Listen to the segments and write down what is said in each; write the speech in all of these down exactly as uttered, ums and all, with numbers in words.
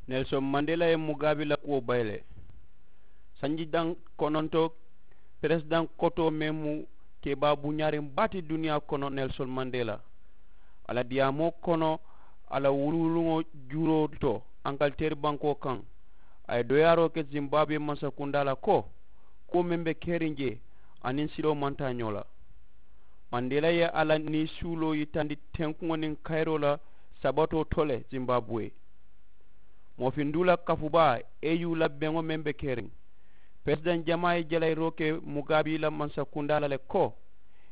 Nelson mandela ye mugaabi la kuwo bayi le. Sanji daŋ kononto peresidaŋ kotoo meŋ mu kebaa buñaariŋ baa ti duniyaa kono, nelson mandela, a la diyaamoo kono, a la wuluwuluŋo juuroo to ankaliteeri bankoo kaŋ, a ye doyaaroo ke zimbaabuwe mansakundaa la ko kuwo meŋ be keriŋ jee aniŋ siloo maŋ taa ñoo la. Mandela ye a la niisuuloo yitandi tenkuŋo niŋ kayiroo la sabatoo to le zimbaabuwe. Moo finduu la kafubaa, eu la beŋo meŋ be keriŋ, peresidaŋ jamaa ye jalayiroo ke mugaabi la mansakundaa la le ko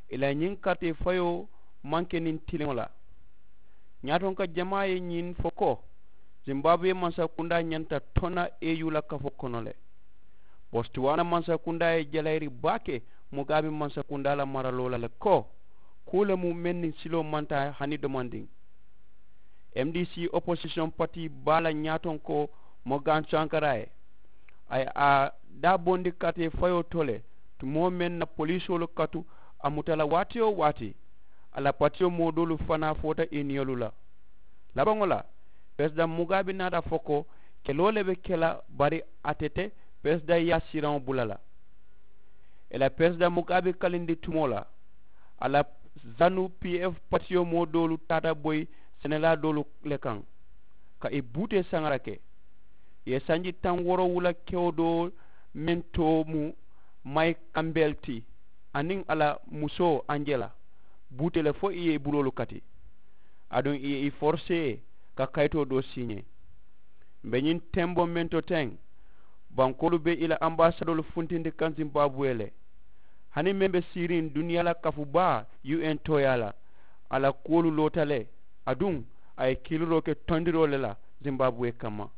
i la ñiŋ karitee fayoo maŋ ke niŋ tiliŋo la. Ñaatonka jamaa ye ñiŋ fo ko zimbaabuwe mansakundaa ñanta tona eu la kafoo kono le. Bostuwaana mansakundaa ye jalayiri baake mugaabi mansakundaa la maraloo la le ko kuu le mu meŋ niŋ siloo maŋ taa hani domandiŋ. M D C oposisiyoŋ patii baa la ñaatonkoo mogan sankaraa ye a ye a daabondi karitee fayoo to le tumoo meŋ na poliisoolu katu a muta la waati-wo-waati. A la patiyo moo doolu fanaa foota i niyolu la. Labaŋo la, peresidaŋ mugaabi naata fo ko keloo le be ke la bari ate te peresidaŋ yaasiraŋo bula la. I la peresidaŋ mugaabi kalindi tumoo la, a la zanu p f patiyo moo doolu taata boyi senelaa doolu le kaŋ ka i buutee saŋara ke. I ye sanji taŋ woorowula kewo doo meŋ too mu mayi kambel ti aniŋ a la musoo anjela buutee le fo i ye i buloolu kati. Aduŋ i ye i forisee ka kayitoo doo siiñee. M̀ be ñiŋ temboo meŋ to teŋ, bankoolu be i la ambaasadoolu funtindi kaŋ zimbaabuwe le. Hani meŋ be siiriŋ duniyaa la kafu baa u n tooyaa la, a la kuwolu loota le. Aduŋ a ye kiiliroo ke tondiroo le la zimbaabuwe kamma.